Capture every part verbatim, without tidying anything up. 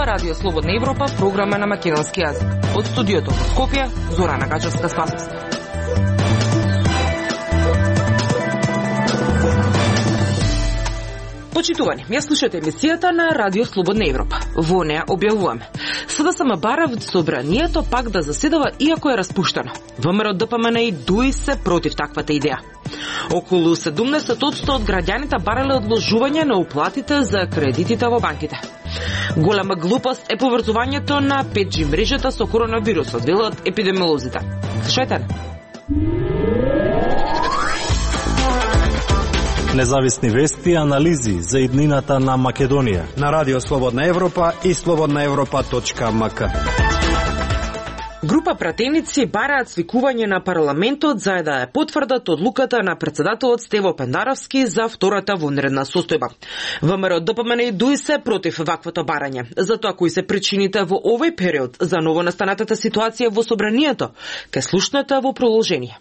Радио Слободна Европа, програма на македонски јазик. Од студиото во Скопје, Зорана Гачевска-Спасовска. Почитувани, ја слушате емисијата на Радио Слободна Европа. Во неа објавуваме. СДСМ бара собранието пак да заседава иако е распуштено. ВМРО ДПМН и ДУИ се против таквата идеја. Околу седумдесет одсто од граѓаните барале одложување на уплатите за кредитите во банките. Голема глупост е поврзувањето на пет джи мрежата со коронавирусот, велат епидемиолозите. Слушајте. Независни вести и анализи за иднината на Македонија на Радио Слободна Европа и слободна европа точка ем ка. Група пратеници бараат свикување на парламентот за да ја потврдат одлуката на председателот Стево Пендаровски за втората вонредна состојба. ВМРО ДПМН и ДУИ се против ваквото барање. Затоа кои се причините во овој период за новонастанатата ситуација во собранието, ке слушнете во продолжение.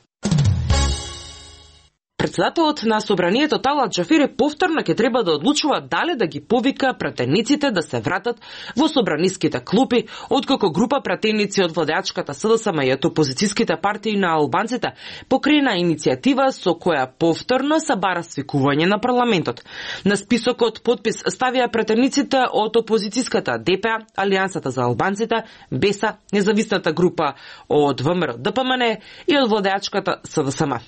Председателот на собранието Талат Џафери повторно ќе треба да одлучува дали да ги повика пратениците да се вратат во собраниските клупи, откако група пратеници од владеачката СДСМ и од опозицијските партии на албанците покрена иницијатива со која повторно се бара свикување на парламентот. На списокот подпис ставија пратениците од опозицијската ДП, Алијансата за албанците, БЕСА, независната група од ВМРО ДПМН и од владеачката СДСМ.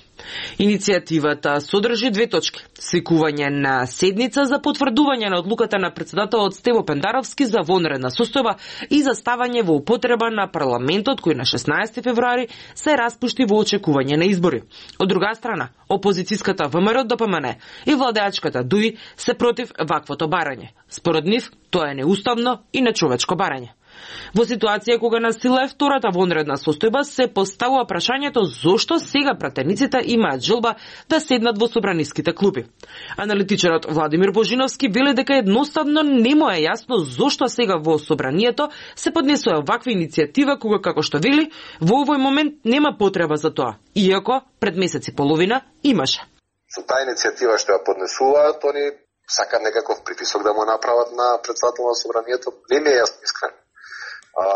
Иницијативата содржи две точки: свикување на седница за потврдување на одлуката на председателот Стево Пендаровски за вонредна состојба и за ставање во употреба на парламентот кој на шеснаесети февруари се распушти во очекување на избори. Од друга страна, опозицијската ВМРО ДПМН и владеачката ДУИ се против ваквото барање. Според нив, тоа е неуставно и нечовечко барање. Во ситуација кога на сила е втората вонредна состојба, се поставува прашањето зошто сега пратениците имаат желба да седнат во собраниските клупи. Аналитичарот Владимир Божиновски вели дека едноставно не му е јасно зошто сега во собранието се поднесува ваква иницијатива кога, како што вели, во овој момент нема потреба за тоа, иако пред месец и половина имаше. Со таа иницијатива што ја поднесуваат, они сакаат некаков притисок да му направат на председател на собранието. Не ми е јасно искрено. А,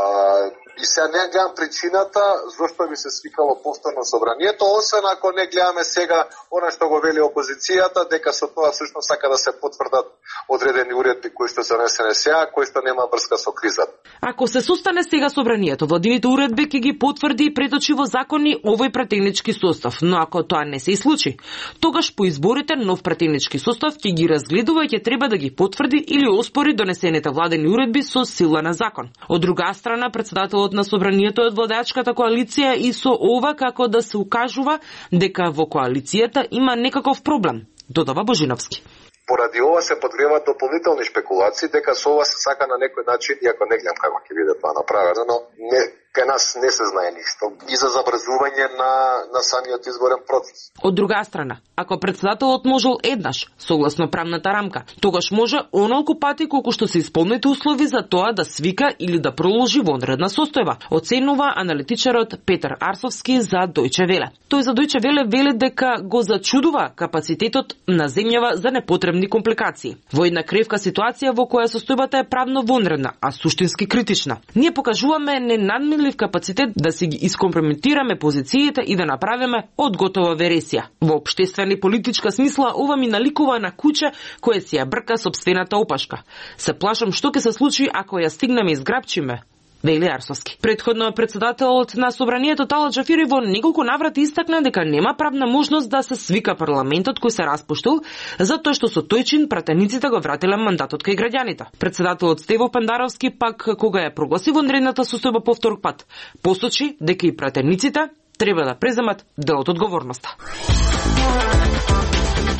и сега не гледам причината зашто би се свикало повторно собранието, освен ако не гледаме сега она што го вели опозицијата, дека со тоа всушност сака да се потврдат одредени уредби кои што се донесени сега, кои што нема врска со кризата. Ако се состане сега собранието, владините уредби ќе ги потврди и преточи во закони овој пратенички состав, но ако тоа не се и случи, тогаш по изборите нов пратенички состав ќе ги разгледува и ќе треба да ги потврди или оспори донесените владени уредби со сила на закон. Од друга страна, председателот на собранието е од владеачката коалиција и со ова како да се укажува дека во коалицијата има некаков проблем, додава Божиновски. Поради ова се подгреваат дополнителни шпекулации дека со ова се сака на некој начин, иако не гледам како ќе биде тоа направено, но не, кај нас не се знае ништо, и за забрзување на, на самиот изборен процес. Од друга страна, ако председателот можел еднаш, согласно правната рамка, тогаш може онолку пати колку што се исполните услови за тоа да свика или да проложи вонредна состојба, оценува аналитичарот Петар Арсовски за Дојче Веле. Тој за Дојче Веле вели дека го зачудува капацитетот на земјава за непотребни компликации. Во една кревка ситуација во која состојбата е правно вонредна, а суштински критична. Ние покажуваме ненадмирлив капацитет да си ги искомпрометираме позициите и да направиме одготова вересија. Во општествена и политичка смисла ова ми наликува на куче кое си ја брка сопствената опашка. Се плашам што ќе се случи ако ја стигнеме и изграбчиме, вели Арсовски. Предходно председателот на собранието Талат Џафери во неколку наврати истакна дека нема правна можност да се свика парламентот кој се распуштил, затоа што со тој чин пратениците го вратиле мандатот кај граѓаните. Председателот Стево Пендаровски пак кога ја прогласи вонредната состојба по втор пат, посочи дека и пратениците треба да преземат дел од одговорноста.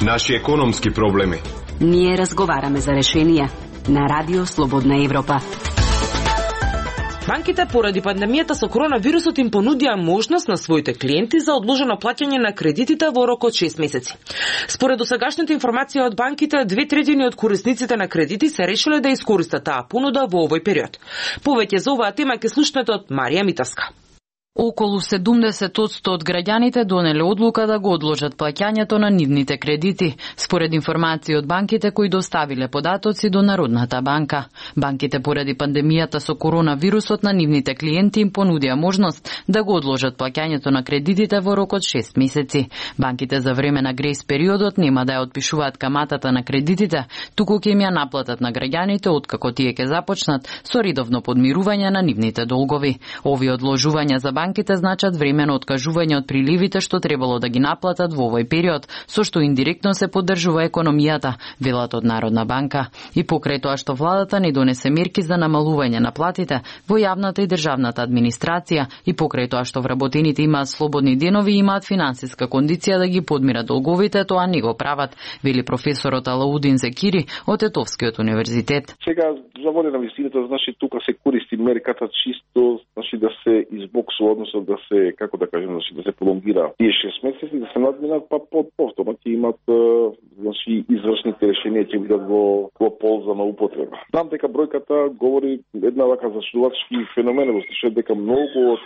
Наши економски проблеми. Ние разговараме за решенија на Радио Слободна Европа. Банките поради пандемијата со коронавирусот им понудија можност на своите клиенти за одложено плаќање на кредитите во рок од шест месеци. Според досегашните информации од банките, две третини од корисниците на кредити се решиле да искористат таа понуда во овој период. Повеќе за оваа тема ќе слушнете од Марија Митовска. Околу седумдесет одсто од граѓаните донеле одлука да го одложат плаќањето на нивните кредити, според информации од банките кои доставиле податоци до Народната банка. Банките поради пандемијата со коронавирусот на нивните клиенти им понудија можност да го одложат плаќањето на кредитите во рок од шест месеци. Банките за време на грејс периодот нема да ја отпишуваат каматата на кредитите, туку ќе им ја наплатат на граѓаните откако тие ќе започнат со редовно подмирување на нивните долгови. Овие одложувања за банките значат времено откажување од приливите што требало да ги наплатат во овој период, со што индиректно се поддржува економијата, велат од Народна банка. И покрај тоа што владата не донесе мерки за намалување на платите во јавната и државната администрација и покрај тоа што вработените имаат слободни денови и имаат финансиска кондиција да ги подмират долговите, тоа не го прават, вели професорот Алаудин Зекири од Етовскиот универзитет. Сега за воде на висината, значи тука се користи мерката чисто, значи да се избоксува, односно да се, како да кажем, значи да се пролонгира тие шест месеци, да се надминат, па под повторно ќе имат значи извршните решенија ќе бидат во, во полза на употреба. Знам дека бројката говори една вака зачудувачки феномен, во случај дека многу од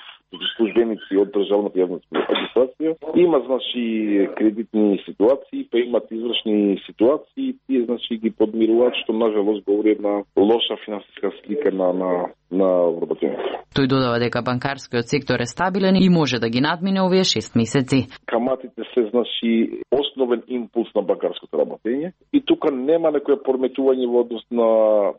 службеници од државната јавна администрација има значи кредитни ситуации, па имат извршни ситуации, тие значи ги подмируваат, што нажалост говори една лоша финансиска слика на на на вработените. Тој додава дека банкарскиот сектор е стабилен и може да ги надмине овие шест месеци. Каматите се значи основен импулс на банкарското работење и тука нема некоја порметување во однос на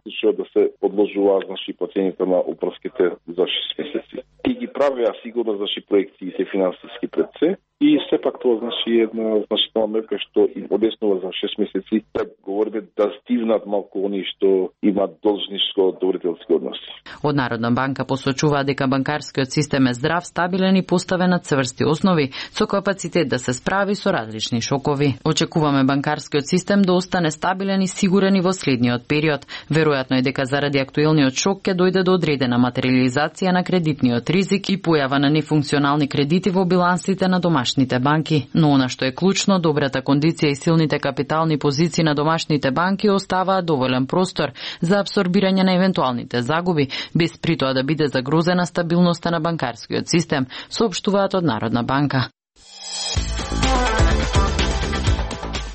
што да се одложуваат значи платењето на упрските за шест месеци. И ги правеа сигурно значи проекциите финансиски пред се и сепак тоа значи една значителна мерка што им одеснува за шест месеци да говориме да стивнат малку оние што имаат должничко доверителски односи. Од Народна банка посочува дека банкарскиот систем е здрав, стабилен и поставен на цврсти основи, со капацитет да се справи со различни шокови. Очекуваме банкарскиот систем да остане стабилен и сигурен и во следниот период. Веројатно е дека заради актуелниот шок ќе дојде до одредена материализација на кредитниот ризик и појава на нефункционални кредити во билансите на домашните банки. Но она што е клучно, добрата кондиција и силните капитални позиции на домашните банки оставаат доволен простор за абсорбирање на евентуалните загуби, без при тоа да биде загрозена стабилноста на банкарскиот систем, соопштуваат од Народна банка.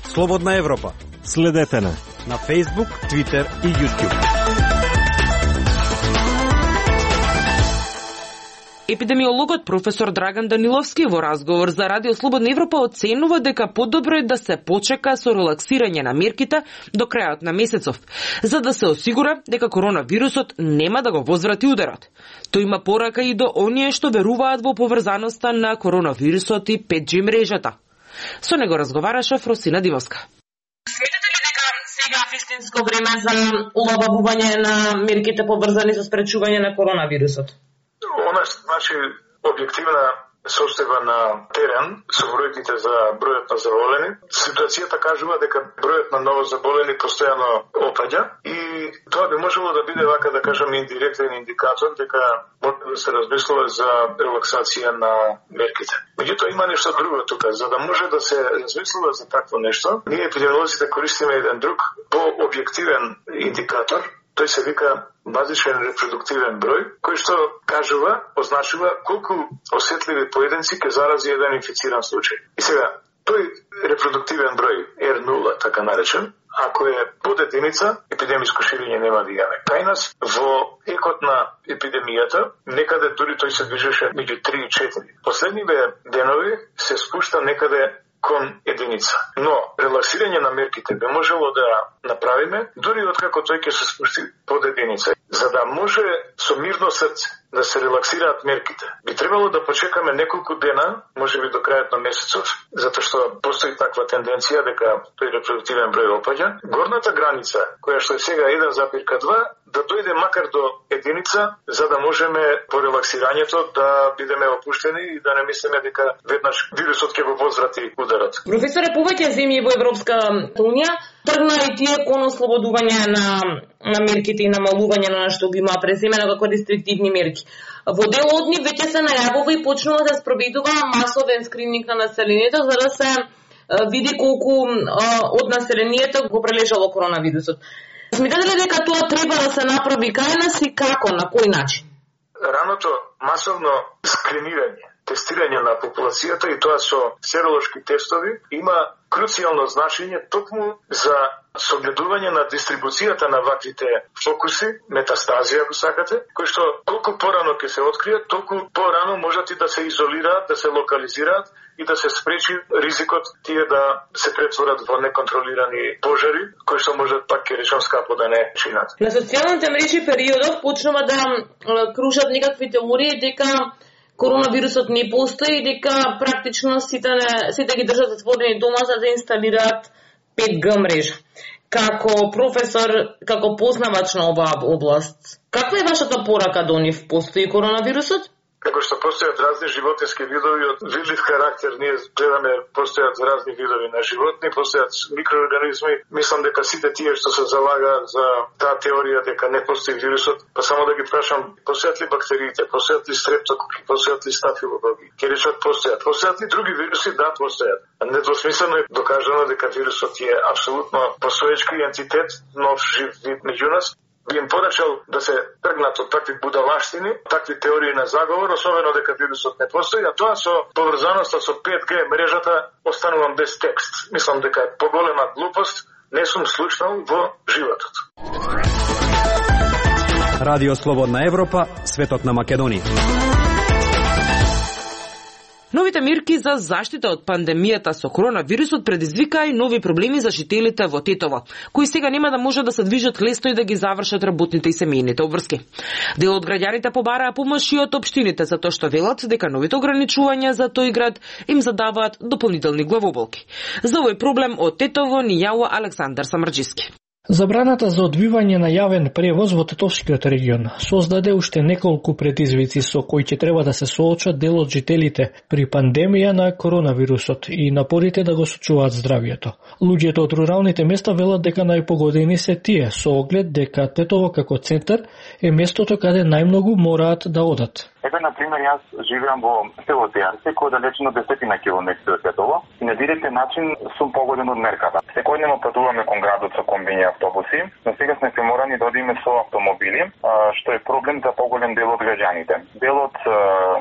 Слободна Европа. Следете на на Facebook, Twitter и YouTube. Епидемиологот професор Драган Даниловски во разговор за Радио Слободна Европа оценува дека подобро е да се почека со релаксирање на мерките до крајот на месецов, за да се осигура дека коронавирусот нема да го возврати ударот. Тој има порака и до оние што веруваат во поврзаноста на коронавирусот и пет джи мрежата. Со него разговараше Фросина Дивовска. Сметате ли дека сега е вистинско време за улабавување на мерките поврзани со спречување на коронавирусот? Она значи објективна состојба на терен со бројките за бројот на заболени. Ситуацијата кажува дека бројот на новозаболени постојано опаѓа и тоа би можело да биде вака да кажам индиректен индикатор дека може да се размислува за релаксација на мерките. Меѓутоа има нешто друго тука, за да може да се размислува за такво нешто. Ние епидемиолозите користиме еден друг по-објективен индикатор. Тој се вика базичен репродуктивен број, кој што кажува, означува колку осетливи поединци ќе зарази еден инфициран случај. И сега, тој репродуктивен број ер нула, така наречен, ако е под единица, епидемиско ширење нема да имаме. Кај нас, во екот на епидемијата, некаде дури тој се движеше меѓу три и четири. Последниве денови се спушта некаде кон единица. Но релаксирање на мерките би можело да направиме дури откако тој ќе се спусти под единица. За да може со мирно срце да се релаксираат мерките, би требало да почекаме неколку дена, можеби до крајот на месецов, затоа што постои таква тенденција дека тој репродуктивен број опаѓа. Горната граница, која што е сега еден запир два, да дојде макар до единица, за да можеме по релаксирањето да бидеме опуштени и да не мислиме дека веднаш вирусот ќе го возврати ударот. Професоре, повеќе земји во Европска унија тргна и тие кон ослободување на на мерките и намалување на што ги има преземено како рестриктивни мерки. Во дел од нив веќе се најавува и почнува да спроведува масовен скрининг на населението за да се види колку од населението го прележало коронавирусот. Смятате ли дека тоа треба да се направи кај нас и како, на кој начин? раното масовно скринирање, тестирање на популацијата и тоа со серолошки тестови има круцијално значење токму за согледување на дистрибуцијата на ваквите фокуси, метастазија, ако сакате, кои што колку порано ќе се откријат, толку порано можат и да се изолираат, да се локализираат и да се спречи ризикот тие да се претворат во неконтролирани пожари, кои што можат пак ќе речам скапо да не чинат. На социјалните мрежи периодов почнува да кружат некакви теории дека коронавирусот не постои и дека практично сите не, сите ги држат затворени дома за да инсталираат пет Г мрежа. Како професор, како познавач на оваа област, каква е вашата порака до нив? Постои коронавирусот? Како што постојат разни животински видови од видлив характер, ние гледаме постојат разни видови на животни, постојат микроорганизми. Мислам дека сите тие што се залагаат за таа теорија дека не постои вирусот, па само да ги прашам, постојат ли бактериите, постојат ли стрептококи, постојат ли стафилококи? Ќе речат постојат. Постојат ли други вируси? Да, постојат. Недвосмислено е докажано дека вирусот е апсолутно постоечки ентитет, нов жив вид меѓу нас. Би им порачал да се тргнат од такви будалаштини, такви теории на заговор, особено дека вирусот не постои, а тоа со поврзаноста со пет Г мрежата останувам без текст. Мислам дека е поголема глупост, не сум слушнал во животот. Радио Слободна Европа, светот на Македонија. Новите мерки за заштита од пандемијата со коронавирусот предизвикаа и нови проблеми за жителите во Тетово, кои сега нема да може да се движат лесно и да ги завршат работните и семејните обврски. Дел од граѓаните побараа помош и од општините затоа што велат дека новите ограничувања за тој град им задаваат дополнителни главоболки. За овој проблем од Тетово ни јавува Александар Самарџиски. Забраната за одвивање на јавен превоз во Тетовскиот регион создаде уште неколку предизвици со кои ќе треба да се соочат дел од жителите при пандемија на коронавирусот и напорите да го сочуваат здравието. Луѓето од руралните места велат дека најпогодени се тие, со оглед дека Тетово како центар е местото каде најмногу мораат да одат. Ето, например, јас живеам во село Тејарце, кој е далечено десетина километри од Тетово и на директен начин сум погоден од мерката. Секојдневно патуваме кон градот со комбини автобуси, но сега сме приморани да одиме со автомобили, што е проблем за поголем дел од граѓаните. Дел од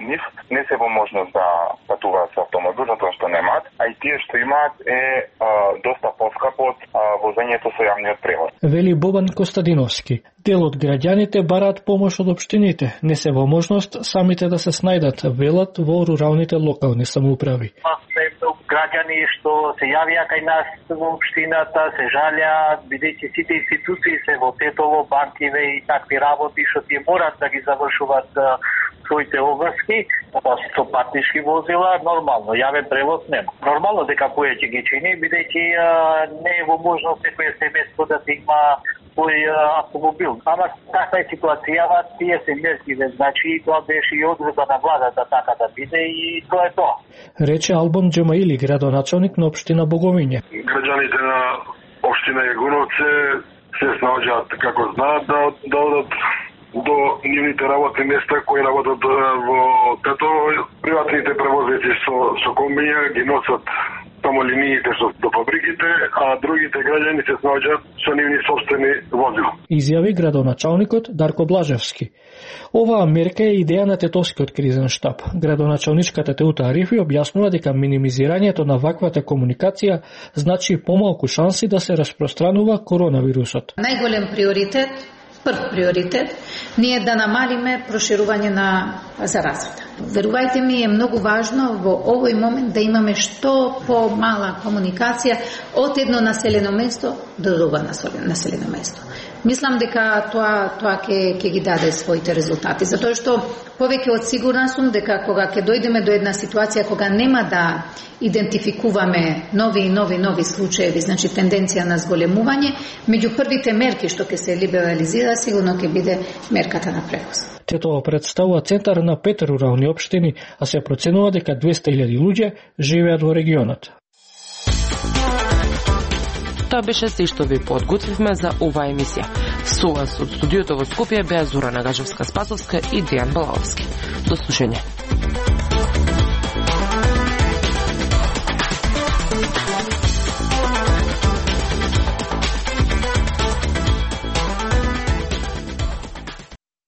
нив не се во можност да патуваат со автомобил, затоа што немаат, а и тие што имаат е а, доста поскапо од возењето со јавниот превоз. Вели Бобан Костадиновски. Дел од граѓаните бараат помош од општините, не се во можност самите да се снајдат, велат во руралните локални самоуправи. Граѓани што се јавија кај нас во општината, се жалеа, бидејќи сите институции се во Тетово, банкиве и такви работи што тие морат да ги завршуваат своите обврски, со патнишки возила, нормално, јавен превоз нема. Нормално дека кој ќе ги чини, бидејќи не е во можност секој семејство да има свој автомобил. Ама таква е ситуацијава, тие се меркиве, значи тоа беше и одредба на владата така да биде и тоа е тоа. Рече Албон Џемаили, градоначалник на општина Боговиње. Граѓаните на општина Јагуновце се снаоѓаат како знаат да, да одат до нивните работни места кои работат во Тетово. Приватните превозници со, со комбија ги носат само линиите што до фабриките, а другите граѓани се снаоѓаат со нивни собствени возила. Изјави градоначалникот Дарко Блажевски. Оваа мерка е идеја на Тетовскиот кризен штаб. Градоначалничката Теута Арифи објаснува дека минимизирањето на ваквата комуникација значи помалку шанси да се распространува коронавирусот. Најголем приоритет, прв приоритет, ние да намалиме проширување на заразата. Верувајте ми, е многу важно во овој момент да имаме што помала комуникација од едно населено место до друго населено место. Мислам дека тоа тоа ќе ќе ги даде своите резултати, затоа што повеќе од сигурна сум дека кога ќе дојдеме до една ситуација кога нема да идентификуваме нови и нови нови случаеви, значи тенденција на зголемување, меѓу првите мерки што ќе се либерализира сигурно ќе биде мерката на превоз. Тетово представува центар на пет рурални општини, а се проценува дека двесте илјади луѓе живеат во регионот. Тоа беше се што ви подготвивме за оваа емисија. Со вас од студиото во Скопје беа Зора Нагажевска-Спасовска и Дејан Балаовски. До слушање.